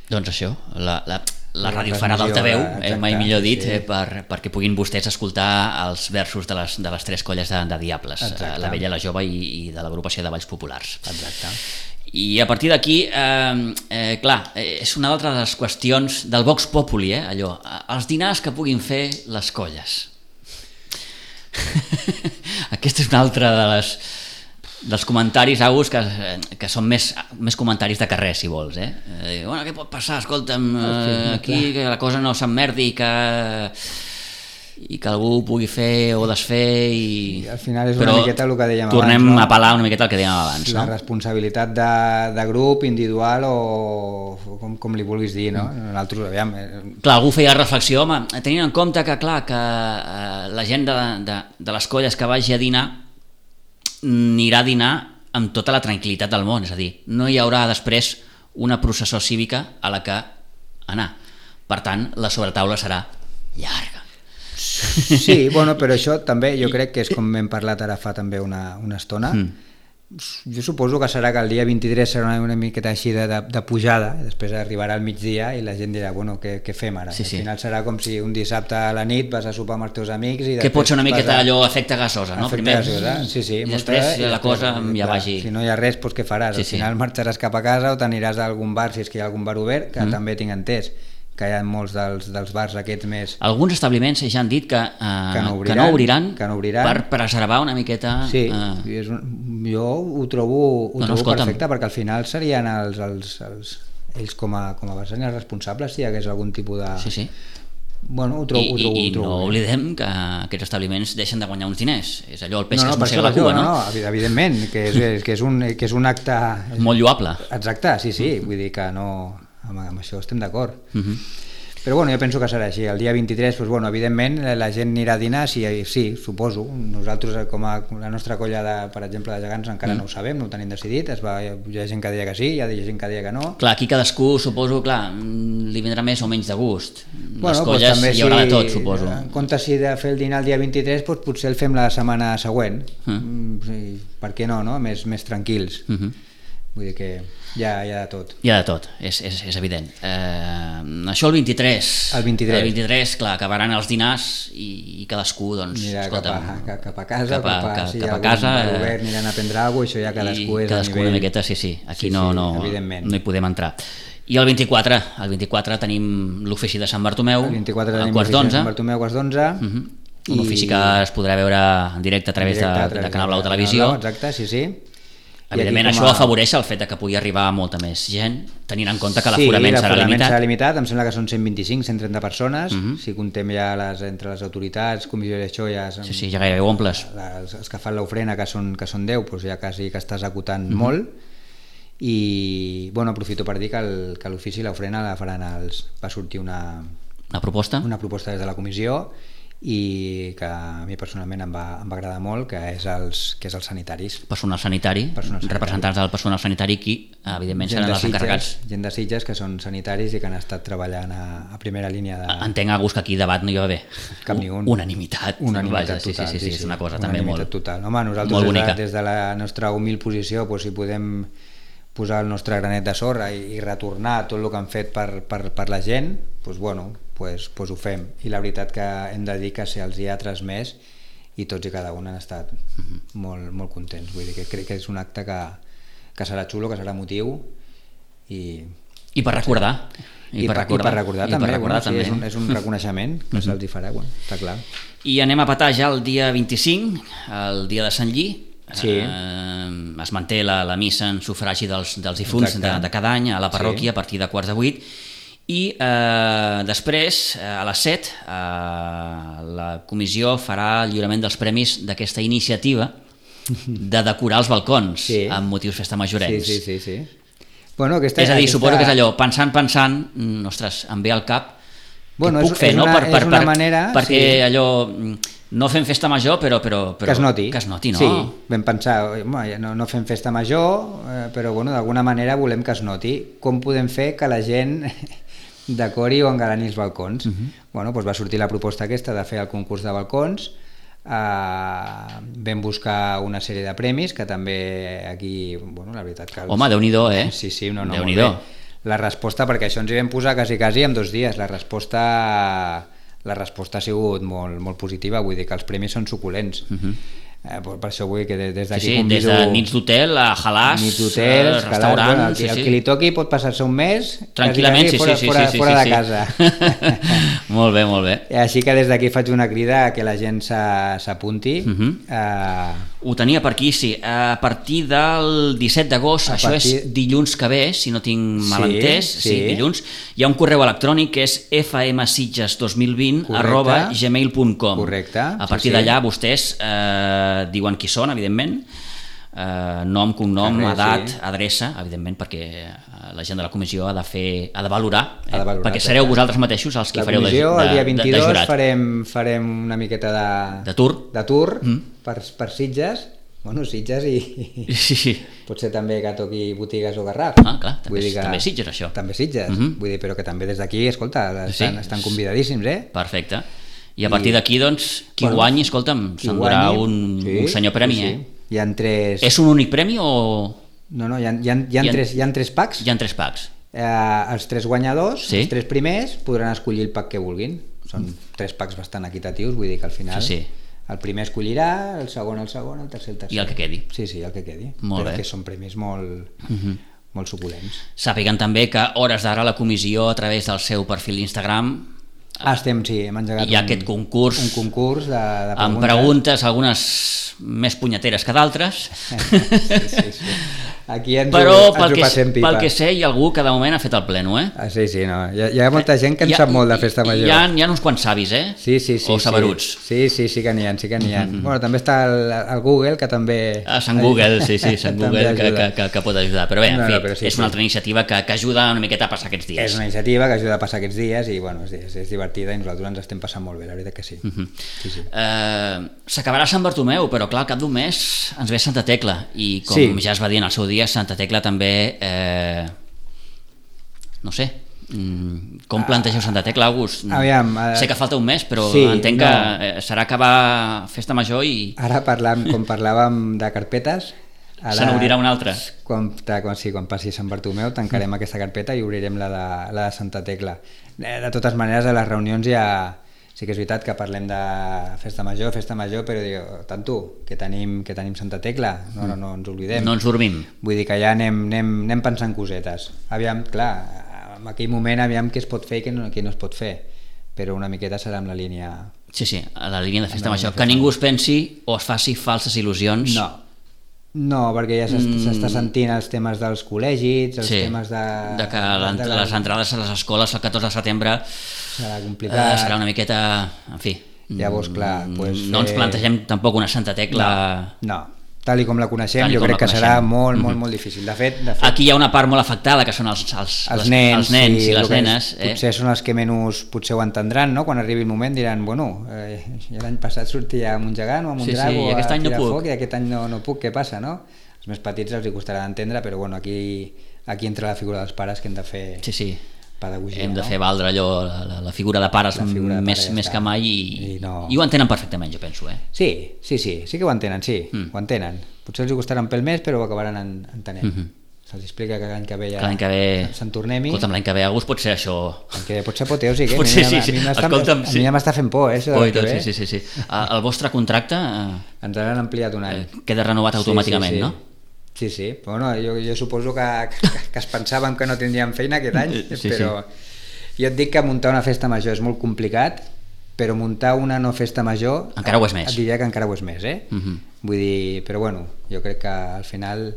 Doncs això, la ràdio farà d'altaveu, mai millor dit, perquè puguin vostès escoltar els versos de les tres colles de diables, la vella, la jove i de l'agrupació de Balls Populars. Exacte. I a partir d'aquí, clar, és una altra de les qüestions del Vox Populi, allò, els dinars que puguin fer les colles. Aquesta és una altra dels comentaris, Agus, que són més comentaris de carrer, si vols. Bueno, què pot passar? Escolta'm, aquí que la cosa no s'emmerdi i que algú pugui fer o desfer i al final és una miqueta el que dèiem abans. Tornem a apel·lar una miqueta el que dèiem abans. La responsabilitat de grup, individual o com li vulguis dir, no? Nosaltres, aviam... Clar, algú feia reflexió, home, tenint en compte que, clar, que la gent de les colles que vagi a dinar anirà a dinar amb tota la tranquil·litat del món, és a dir, no hi haurà després una processó cívica a la que anar. Per tant, la sobretaula serà llarga. Sí, bueno, però això també jo crec que és com hem parlat ara fa també una estona. Jo suposo que serà que el dia 23 serà una miqueta així de pujada, i després arribarà al migdia i la gent dirà, bueno, què fem ara? Al final serà com si un dissabte a la nit vas a sopar amb els teus amics i que pot ser una miqueta allò efecte gasosa, no? Primer, sí, i després la cosa ja vagi... Si no hi ha res, doncs què faràs? Al final marxaràs cap a casa o t'aniràs a algun bar, si és que hi ha algun bar obert, que també tinc entès que hi ha molts dels bars aquests més... Alguns establiments ja han dit que no obriran per preservar una miqueta... Sí, jo ho trobo perfecte, perquè al final serien ells com a vessants responsables si hi hagués algun tipus de... Sí. Bueno, ho trobo I no oblidem que aquests establiments deixen de guanyar uns diners. És allò, el peix que es mossega la cua, no? Evidentment, que és un acte... Molt lloable. Exacte, sí, vull dir que no... Amb això estem d'acord. Però bueno, jo penso que serà així. El dia 23, doncs, bueno, evidentment, la gent anirà a dinar, sí, suposo. Nosaltres, com a la nostra colla, per exemple, de gegants, encara no ho sabem, no ho tenim decidit. Hi ha gent que deia que sí, hi ha gent que deia que no. Clar, aquí cadascú, suposo, li vindrà més o menys de gust. Les colles també, hi haurà de tot, suposo. En comptes de fer el dinar el dia 23, doncs potser el fem la setmana següent. Per què no? Més tranquils. Vull dir que hi ha de tot. Hi ha de tot, és evident. Això el 23. El 23, clar, acabaran els dinars i cadascú, doncs, escolta'm... Cap a casa, si hi ha algun obert aniran a prendre alguna cosa, això ja cadascú és a nivell... una miqueta, sí, aquí no hi podem entrar. I el 24 tenim l'ofici de Sant Bartomeu, a quarts d'11. Sant Bartomeu, quarts d'11. Un ofici que es podrà veure en directe a través de Canal Blau Televisió. Exacte, sí. Evidentment això afavoreix el fet que pugui arribar molta més gent, tenint en compte que l'aforament serà limitat. Sí, l'aforament serà limitat, em sembla que són 125-130 persones, si contem ja entre les autoritats, comissió d'això ja... Sí, ja gairebé omples. Els que fan l'ofrena, que són 10, doncs ja quasi que estàs acotant molt, i bueno, aprofito per dir que l'ofici i l'ofrena la faran va sortir una proposta des de la comissió, i que a mi personalment em va agradar molt, que és els sanitaris. Personal sanitari, representants del personal sanitari, qui evidentment seran els encarregats. Gent de Sitges que són sanitaris i que han estat treballant a primera línia de... Entenc, Agus, que aquí debat no hi va haver cap ni un. Unanimitat total. Sí, és una cosa també molt total. Home, nosaltres des de la nostra humil posició, si podem posar el nostre granet de sorra i retornar tot el que han fet per la gent, doncs bueno, pues ho fem. I la veritat que hem de dir que se'ls hi ha transmès i tots i cada un han estat molt, molt contents. Vull dir que crec que és un acte que serà xulo, que serà emotiu i per recordar. I per recordar també. És un reconeixement que se'ls hi farà, està clar. I anem a petar ja el dia 25, el dia de Sant Lli, Sí. Es manté la missa en sufragi dels difunts de cada any a la parròquia a partir de 7:15, i després, a les 7, la comissió farà el lliurament dels premis d'aquesta iniciativa de decorar els balcons amb motius festa majorencs. Sí. Bueno, és a dir, suposo que és allò, pensant, ostres, em ve al cap què puc fer, no? Una manera... Perquè allò, no fem festa major, però que es noti, no? Sí, vam pensar, no fem festa major, però bueno, d'alguna manera volem que es noti. Com podem fer que la gent decori o engalani els balcons? Bueno, doncs va sortir la proposta aquesta de fer el concurs de balcons. Vam buscar una sèrie de premis que també aquí, bueno, la veritat que... Home, Déu-n'hi-do, eh? Sí, molt bé. La resposta, perquè això ens hi vam posar quasi en 2 dies, la resposta ha sigut molt positiva, vull dir que els premis són suculents. Per això vull dir que des d'aquí convido... Des de nits d'hotel a halàs, restaurants... El que li toqui pot passar-se un mes tranquil·lament, fora de casa. Molt bé. Així que des d'aquí faig una crida a que la gent s'apunti. Ho tenia per aquí, sí. A partir del 17 d'agost, això és dilluns que ve, si no tinc mal entès, dilluns, hi ha un correu electrònic que és fmsitges2020@gmail.com. Correcte. A partir d'allà vostès diuen qui són, evidentment, nom, cognom, edat, adreça, evidentment, perquè la gent de la comissió ha de valorar, perquè sereu vosaltres mateixos els que fareu de jurat. La comissió, el dia 22, farem una miqueta de tour per Sitges, bueno, Sitges i potser també que toqui Botigues o Garraf. Clar, també Sitges, això. També Sitges, vull dir, però que també des d'aquí, escolta, estan convidadíssims, Perfecte. I a partir d'aquí, doncs, qui guanyi, escolta'm, s'endurà un senyor premi, Hi ha 3... És un únic premi o...? No, hi ha 3 packs. Hi ha 3 packs. Els 3 guanyadors, els 3 primers, podran escollir el pack que vulguin. Són 3 packs bastant equitatius, vull dir que al final el primer escollirà, el segon, el tercer, el tercer. I el que quedi. Sí, el que quedi. Molt bé. Perquè són premis molt suculents. Sàpiguen també que hores d'ara la comissió, a través del seu perfil d'Instagram, hem engegat aquest concurs, un concurs de preguntes. Amb preguntes, algunes més punyeteres que d'altres. Sí. Aquí ens però ho passem pipa. Pel que sé, hi ha algú que de moment ha fet el pleno, Sí, no. Hi ha molta gent que en sap molt de festa major. Hi ha uns quants savis, Sí. O saberuts. Sí que n'hi ha. Bueno, també està el Google, que també... Sant Google, Sant Google, que pot ajudar. Però bé, en fi, és una altra iniciativa que ajuda una miqueta a passar aquests dies. És una iniciativa que ajuda a passar aquests dies i, bueno, és divertida i nosaltres ens estem passant molt bé, la veritat que sí. S'acabarà Sant Bartomeu, però clar, al cap d'un mes ens ve Santa Tecla i com ja es va dir en el seu dia, Santa Tecla també no sé, com plantegeu Santa Tecla, August? Sé que falta un mes, però entenc que serà acabar festa major i... Ara com parlàvem de carpetes, se n'obrirà una altra. Quan passi Sant Bartomeu tancarem aquesta carpeta i obrirem la de Santa Tecla. De totes maneres, a les reunions sí que és veritat que parlem de festa major, però diu, tant tu, que tenim Santa Tecla, no ens oblidem. No ens dormim. Vull dir que ja anem pensant cosetes. Aviam, clar, en aquell moment aviam què es pot fer i què no es pot fer, però una miqueta serà amb la línia... Sí, a la línia de festa major. Que ningú es pensi o es faci falses il·lusions. No, perquè ja s'està sentint els temes dels col·legis, els temes de que les entrades a les escoles el 14 de setembre serà complicat, serà una miqueta, en fi. Llavors, clar, no ens plantegem tampoc una Santa Tecla. No, tal com la coneixem, jo crec que serà molt difícil. De fet, aquí hi ha una part molt afectada, que són els nens i les nenes. Potser són els que menys potser ho entendran, no? Quan arribi el moment diran, bueno, l'any passat sortia amb un gegant o amb un drago a tirar foc i aquest any no puc, què passa, no? Els més petits els hi costarà d'entendre, però bueno, aquí entra la figura dels pares que hem de fer pedagogia. Hem de fer valdre allò, la figura de pares més que mai i ho entenen perfectament, jo penso. Sí que ho entenen, ho entenen. Potser els hi costaran pel mes, però ho acabaran entenent. Se'ls explica que l'any que ve ja se'n tornem-hi. Escolta'm, l'any que ve August pot ser això... Potser apoteòsic, a mi ja m'està fent por, això de l'any que ve. Sí. El vostre contracte... Ens l'han ampliat un any. Queda renovat automàticament, no? Sí, bueno, jo suposo que es pensàvem que no tindríem feina aquest any, però jo et dic que muntar una festa major és molt complicat però muntar una no festa major encara ho és més. et diria que encara ho és més, Vull dir, però bueno, jo crec que al final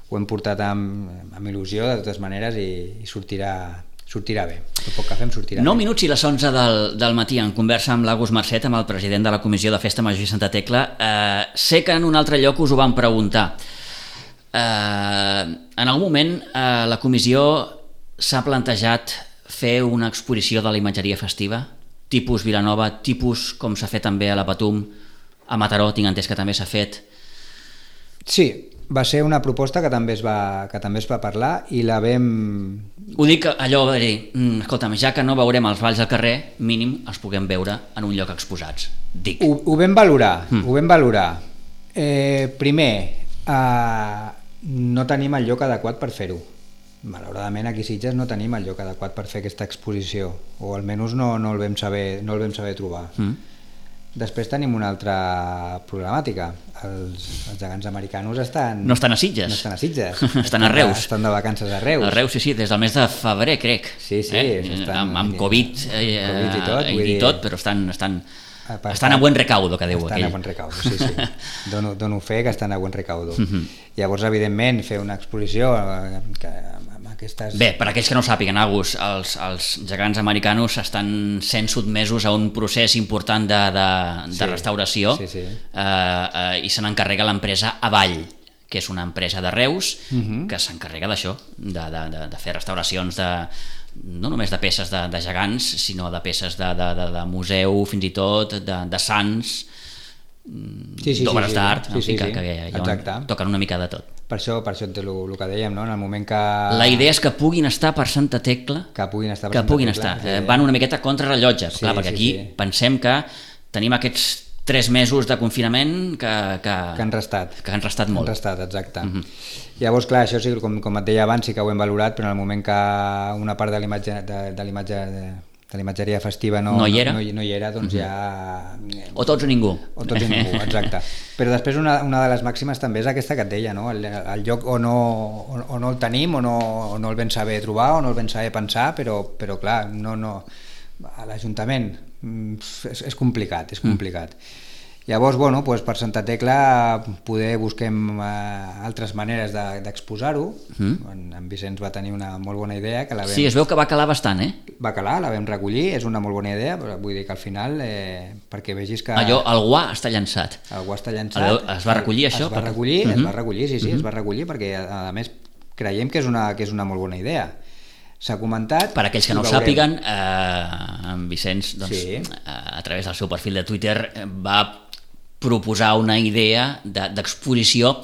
ho hem portat amb il·lusió de totes maneres i sortirà bé. El poc que fem sortirà 9 bé. minuts i les 11 del matí en conversa amb l'Agus Marcet, amb el president de la Comissió de Festa Major i Santa Tecla. Sé que en un altre lloc us ho van preguntar. En algun moment la comissió s'ha plantejat fer una exposició de la imatgeria festiva, tipus Vilanova, tipus com s'ha fet també a la Patum, a Mataró tinc entès que també s'ha fet. Sí, va ser una proposta que també es va parlar i la vam... Ho dic allò de dir, escolta'm, ja que no veurem els balls al carrer, mínim els puguem veure en un lloc exposats. Dic. Ho vam valorar, ho vam valorar. Primer, no tenim el lloc adequat per fer-ho. Malauradament aquí a Sitges no tenim el lloc adequat per fer aquesta exposició, o almenys no el vam saber trobar. Després tenim una altra problemàtica. Els gegants americanos no estan a Sitges. No estan a Sitges. Estan a Reus. Estan de vacances a Reus. A Reus, sí, des del mes de febrer, crec. Sí. Amb Covid i tot, però estan a buen recaudo, que diu aquell. Estan a buen recaudo, sí. Dono fe que estan a buen recaudo. Llavors, evidentment, fer una exposició amb aquestes... Bé, per aquells que no ho sàpiguen, Agus, els gegants americanos estan sent sotmesos a un procés important de restauració i se n'encarrega l'empresa Avall, que és una empresa de Reus que s'encarrega d'això, de fer restauracions no només de peces de gegants, sinó de peces de museu, fins i tot de sants, d'obres d'art, que toquen una mica de tot. Per això el que dèiem, no? En el moment que... La idea és que puguin estar per Santa Tecla, que puguin estar. Van una miqueta contra rellotge, perquè aquí pensem que tenim aquests 3 mesos de confinament que han restat molt. Han restat, exacte. Llavors, clar, això sí, com et deia abans, sí que ho hem valorat, però en el moment que una part de l'imatgeria festiva no hi era, doncs ja... O tots o ningú. O tots o ningú, exacte. Però després una de les màximes també és aquesta que et deia, no? El lloc o no el tenim, o no el vam saber trobar, o no el vam saber pensar, però clar, a l'Ajuntament és complicat. Llavors, per Santa Tecla poder busquem altres maneres d'exposar-ho. En Vicenç va tenir una molt bona idea. Sí, es veu que va calar bastant, Va calar, la vam recollir, és una molt bona idea, però vull dir que al final, perquè vegis que... Allò, el guà està llançat. Es va recollir això? Es va recollir, sí, es va recollir, perquè a més creiem que és una molt bona idea. S'ha comentat... Per aquells que no ho sàpiguen, en Vicenç, a través del seu perfil de Twitter, va proposar una idea d'exposició,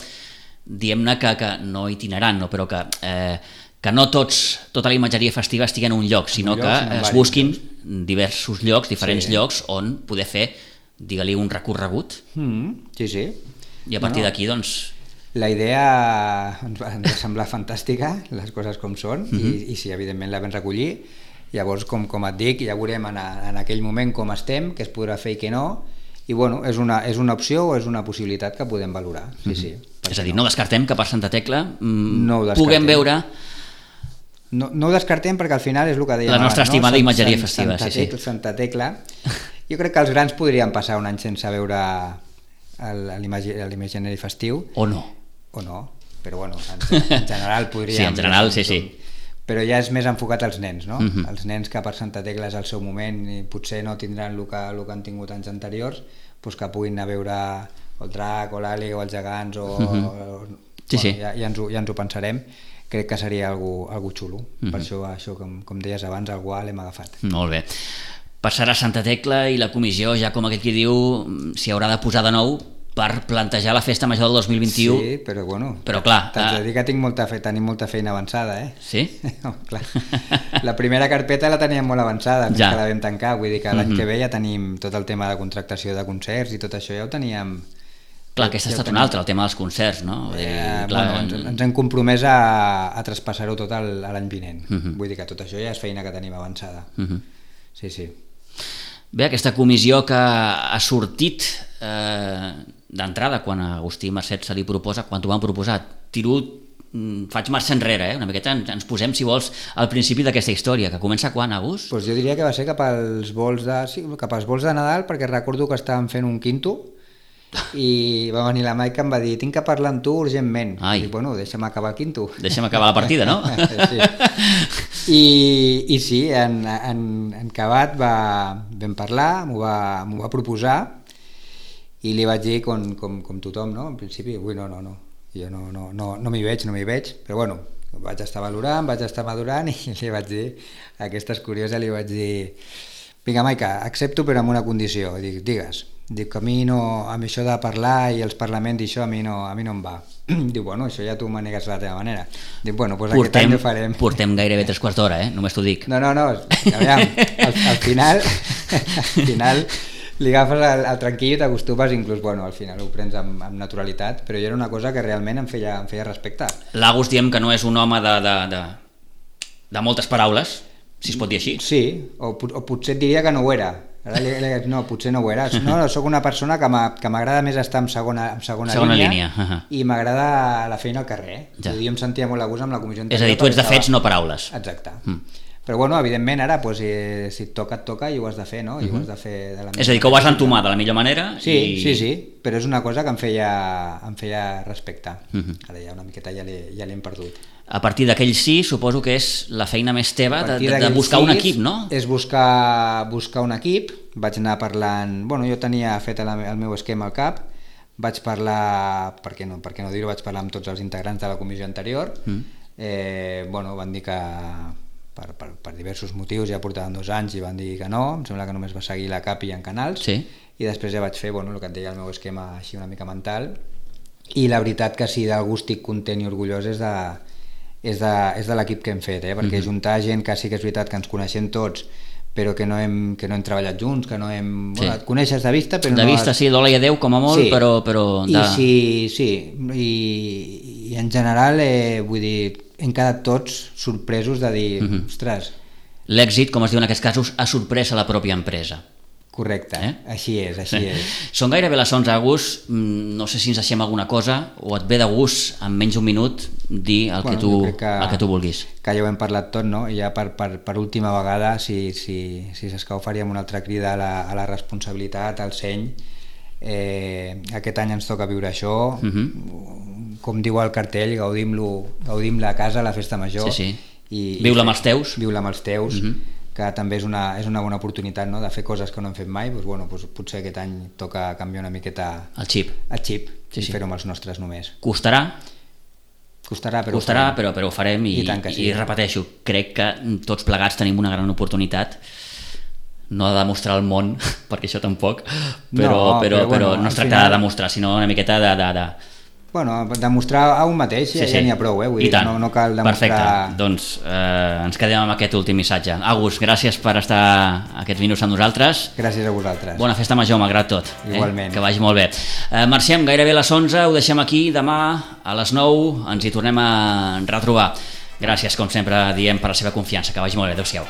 diguem-ne que no itinerant, però que no tota la imatgeria festiva estigui en un lloc, sinó que es busquin diversos llocs, diferents llocs, on poder fer, digue-li, un recorregut. Sí. I a partir d'aquí, doncs... La idea ens va semblar fantàstica, les coses com són, i sí, evidentment la vam recollir. Llavors, com et dic, ja veurem en aquell moment com estem, què es podrà fer i què no, i és una opció o és una possibilitat que podem valorar. Sí. És a dir, no descartem que per Santa Tecla puguem veure... No ho descartem perquè al final és el que dèiem la nostra estimada imatgeria festiva. Santa Tecla. Jo crec que els grans podrien passar un any sense veure l'imaginari festiu. O no, però en general podríem... Sí, en general, sí. Però ja és més enfocat als nens, no? Els nens que per Santa Tecla és el seu moment i potser no tindran el que han tingut anys anteriors, doncs que puguin anar a veure el drac o l'àliga o els gegants ja ens ho pensarem. Crec que seria algo xulo. Per això com deies abans, el guà l'hem agafat. Molt bé. Passarà Santa Tecla i la comissió, ja com aquell qui diu, s'hi haurà de posar de nou per plantejar la festa major del 2021. Sí, però clar... T'haig de dir que tenim molta feina avançada, Sí? No, clar. La primera carpeta la teníem molt avançada, que la vam tancar, vull dir que l'any que ve ja tenim tot el tema de contractació de concerts i tot això ja ho teníem... Clar, aquest ha estat un altre, el tema dels concerts, no? Ens hem compromès a traspassar-ho tot l'any vinent. Vull dir que tot això ja és feina que tenim avançada. Sí. Bé, aquesta comissió que ha sortit d'entrada quan a Agustí Marcet se li proposa, quan t'ho van proposar, tiro faig marxa enrere, una miqueta ens posem, si vols, al principi d'aquesta història, que comença quan, Agus? Pues jo diria que va ser cap als vols de Nadal, perquè recordo que estàvem fent un quinto i va venir la Maica i em va dir tinc que parlar amb tu urgentment. I dic, bueno, deixa'm acabar el quinto. Deixa'm acabar la partida, no? Sí. I sí, en Cabat vam parlar, m'ho va proposar i li vaig dir com tothom, no? En principi, ui, no, jo no m'hi veig, però bueno, vaig estar valorant, vaig estar madurant i li vaig dir, aquesta és curiosa, li vaig dir vinga Maica, accepto però amb una condició. Dic, digues. Dic que a mi amb això de parlar i els parlaments i això a mi no em va. Diu, bueno, això ja tu manegues de la teva manera. Dic, bueno, doncs aquest any ho farem. Portem gairebé 3 quarts d'hora, només t'ho dic. No, aviam, al final li agafes el tranquil i t'acostumes, inclús, bueno, al final ho prens amb naturalitat, però jo era una cosa que realment em feia respecte. L'Agus diem que no és un home de moltes paraules, si es pot dir així. Sí, o potser et diria que no ho era. No, potser no ho era. No, soc una persona que m'agrada més estar en segona línia. I m'agrada la feina al carrer. Jo em sentia molt a gust amb la comissió anterior. És a dir, tu ets de fets, no paraules. Exacte. Però bueno, evidentment ara, si et toca, et toca i ho has de fer, no? I ho has de fer de la millor manera. És a dir, que ho has entomar de la millor manera. Sí, però és una cosa que em feia respecte. Ara ja una miqueta ja l'hem perdut. A partir d'aquell sí, suposo que és la feina més teva de buscar un equip, no? És buscar un equip. Vaig anar parlant... Bueno, jo tenia fet el meu esquema al cap, vaig parlar, per què no dir-ho, vaig parlar amb tots els integrants de la comissió anterior. Bueno, van dir que per diversos motius ja portaven 2 anys i van dir que no, em sembla que només va seguir la CAP i en Canals, i després ja vaig fer el que et deia, el meu esquema així una mica mental, i la veritat que si d'algú estic content i orgullós és de l'equip que hem fet, perquè juntar gent que sí que és veritat que ens coneixem tots, però que no hem treballat junts, que no hem... Bueno, et coneixes de vista, però de vista sí, d'hola i adeu com a molt, però... I en general, vull dir, hem quedat tots sorpresos de dir, ostres... L'èxit, com es diu en aquests casos, ha sorprès a la pròpia empresa. Correcte, així és. Són gairebé les 11, Agus, no sé si ens deixem alguna cosa o et ve de gust en menys d'un minut dir el que tu vulguis. Que ja ho hem parlat tot, no? I ja per última vegada, si s'escau faríem una altra crida a la responsabilitat, al seny. Aquest any ens toca viure això, com diu el cartell, gaudim-la a casa, a la festa major. Viu-la amb els teus. Viu-la amb els teus. Que també és una bona oportunitat, no? De fer coses que no hem fet mai, doncs potser aquest any toca canviar una miqueta el xip i fer-ho amb els nostres només. Costarà, però ho farem i repeteixo, crec que tots plegats tenim una gran oportunitat, no de demostrar al món, perquè això tampoc, però no es tracta de demostrar, sinó una miqueta de Bueno, demostrar a un mateix ja n'hi ha prou, vull dir, no cal demostrar... Perfecte, doncs ens quedem amb aquest últim missatge. Agus, gràcies per estar aquests minuts amb nosaltres. Gràcies a vosaltres. Bona festa major, malgrat tot. Igualment. Que vagi molt bé. Marxem, gairebé a les 11, ho deixem aquí, demà a les 9 ens hi tornem a retrobar. Gràcies, com sempre, diem, per la seva confiança. Que vagi molt bé, adéu-siau.